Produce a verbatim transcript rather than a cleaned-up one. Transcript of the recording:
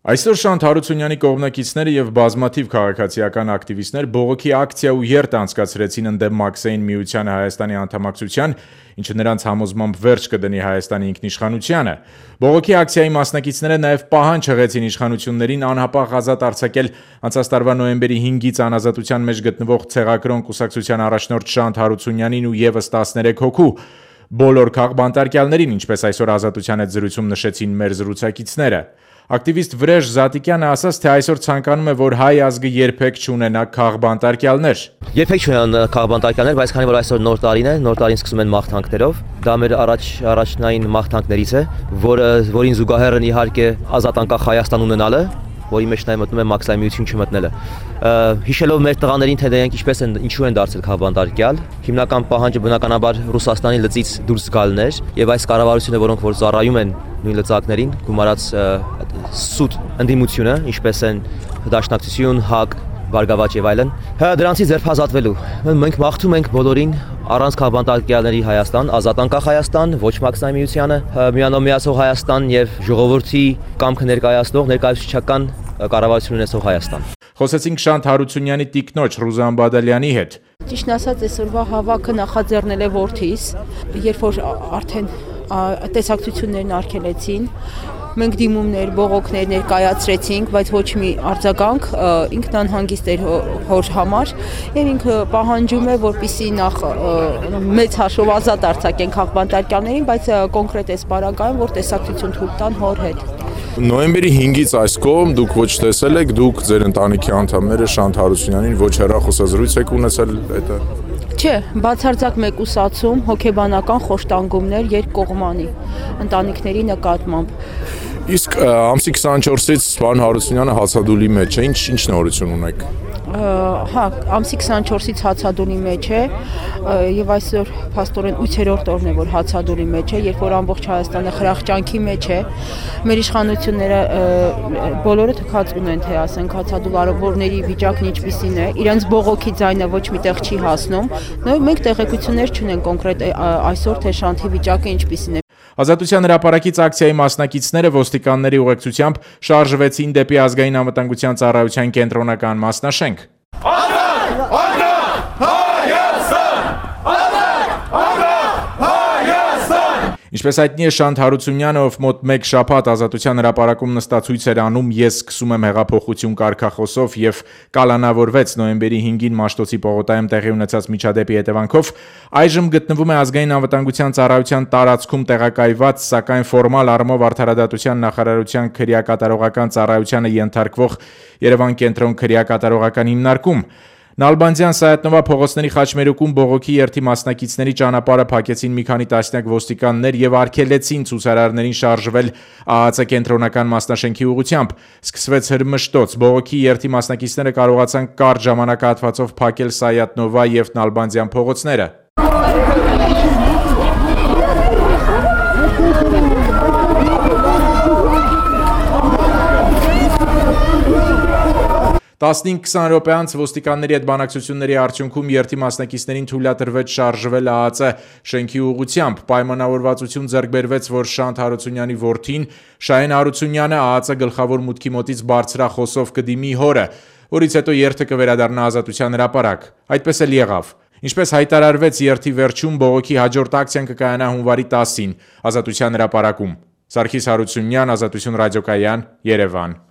Այսօր Շանթ Հարությունյանի կողմնակիցները եւ բազմաթիվ քաղաքացիական ակտիվիստներ բողոքի ակցիա ու երթ անցկացրեցին ընդդեմ Մաքսային միությանը Հայաստանի անդամակցության, ինչը նրանց համոզմամբ վերջ կդնի Հայաստանի ինքնիշխանությանը։ Բողոքի ակցիայի մասնակիցները նաեւ պահանջ հղեցին իշխանություններին անհապաղ ազատ արձակել անցած տարվա նոյեմբերի հինգից անազատության մեջ գտնվող Ցեղակրոն կուսակցության առաջնորդ Շանթ Հարությունյանին ու եւս տասներեք հոգու բոլոր քաղբանտարկյալներին, ինչպես այսօր ազատության հետ զրույցում նշեցին մեր զրուցակիցները։ Ակտիվիստ Վրեժ Զատիկյանը ասաց, թե այսօր ցանկանում է, որ հայ ազգը երբեք չունենա քաղբանտարկյալներ։ Երբեք չունենա քաղբանտարկյալներ, բայց քանի որ այսօր նոր տարին է, նոր տարին սկսում են մաղթանքներով, դա մեր առաջ առաջնային մաղթանքներից է, որը որին զուգահեռ են իհարկե ազատ անկախ Հայաստան ունենալը, որի մեջ նաև մտնում է Մաքսային միություն չմտնելը։ Հիշելով մեր տղաներին, թե դրանք ինչպես են, ինչու են դարձել քաղբանտարկյալ, հիմնական պահանջը բնականաբար Ռուսաստանի լծից դուրս գալն էր, եւ այս կառավարությունը, որոնք որ ծառայում են նույն լծակներին, գումարած սուտ ընդդիմությունը, ինչպես են Դաշնակցություն, ՀԱԿ, Բարգավաճ եւ այլն, դրանցից ձերբազատվելու։ Մենք մաղթում ենք բոլորին առանց քաղբանտարկյալների Հայաստան, ազատ անկախ Հայաստան, ոչ Մաքսային միությանը, միանոմ միացող Հայաստան եւ ժողովրդի կամքը ներկայացնող ներկայացուցչական կառավարություն ունեցող Հայաստան։ Խոսեցինք Շանթ Հարությունյանի տիկնոջ Ռուզան Բադալյանի հետ։ Ճիշտն ասած, այսօրվա հավաքը նախաձեռնել է որդիս, երբ որ արդեն տեսակցություններն արգելեցին, մենք դիմումներ, բողոքներ ներկայացրեցինք, բայց ոչ մի արձագանք, ինքն անհանգիստ էր հոր համար եւ ինքը պահանջում է, որպեսզի նախ մեծ հաշվով ազատ արձակեն քաղբանտարկյալներին, բայց կոնկրետ էս պարագայում, որ տեսակցություն թույլ տան հոր հետ։ Նոյեմբերի հինգից այս կողմ դուք ոչ տեսել եք, դուք ձեր ընտանիքի անդամները Շանթ Հարությունյանին ոչ հեռախոսազրույց եք ունեցել հետը։ Չէ, բացարձակ մեկուսացում, հոգեբանական խոշտանգումներ երկկողմանի ընտանիքների նկատմամբ։ Իսկ ամսի քսանչորսից պարոն Հարությունյանը հացադուլի մեջ է, ինչ ինչ նորություն ունեք։ Հա, ամսի քսանչորսից հացադուլի մեջ է եւ այսօր փաստորեն ութերորդ օրն է, որ հացադուլի մեջ է, երբ որ ամբողջ Հայաստանը խրախճանքի մեջ է։ Մեր իշխանությունները բոլորը թքած ունեն, թե ասենք հացադուլ արվորների վիճակն ինչպիսին է, իրենց բողոքի ձայնը ոչ միտեղ չի հասնում։ Նույն մենք տեղեկություններ չունենք կոնկրետ այսօր, թե Շանթի վիճակը ինչպիսին է։ Ազատության հրապարակից ակցիայի մասնակիցները ոստիկանների ուղեկցությամբ շարժվեցին դեպի ազգային անվտանգության ծառայության կենտրոնական մասնաշենք։ Ինչպես հայտնի է, Շանթ Հարությունյանը, ով մոտ մեկ շաբաթ ազատության հրապարակում նստածույց էր անում «Ես սկսում եմ հեղափոխություն» կարգախոսով եւ կալանավորվեց նոյեմբերի հինգին Մաշտոցի պողոտայում տեղի ունեցած միջադեպի հետևանքով, այժմ գտնվում է ազգային անվտանգության ծառայության տարածքում տեղակայված, սակայն ֆորմալ առումով արդարադատության նախարարության քրեակատարողական ծառայությանը ենթարկվող Երևան կենտրոն քրեակատարողական հիմնարկում։ Նալբանդյան Սայաթնովա փողոցների խաչմերուկում բողոքի երթի մասնակիցների ճանապարհը փակեցին մի քանի տասնյակ ոստիկաններ եւ արգելեցին ցուցարարներին շարժվել ԱԱԾ կենտրոնական մասնաշենքի ուղղությամբ։ Սկսվեց հրմշտոց, բողոքի երթի մասնակիցները կարողացան կարճ ժամանակահատվածով փակել Սայաթնովա եւ Նալբանդյան փողոցները։ տասնհինգ-քսան րոպե անց ոստիկանների հետ բանակցությունների արդյունքում երթի մասնակիցներին թույլատրվեց շարժվել ԱԱԾ շենքի ուղղությամբ։ Պայմանավորվածություն ձեռք բերվեց, որ Շանթ Հարությունյանի որդին Շահեն Հարությունյանը ԱԱԾ գլխավոր մուտքի մոտից բարձրախոսով կդիմի հորը, որից հետո երթը կվերադառնա Ազատության հրապարակ։ Այդպես էլ եղավ։ Ինչպես հայտարարվեց երթի վերջում, բողոքի հաջորդ ակցիան կկայանա հունվարի տասին Ազատության հրապարակում։ Սարգիս Հարությունյան, Ազատություն ռադիոկայան, Երևան։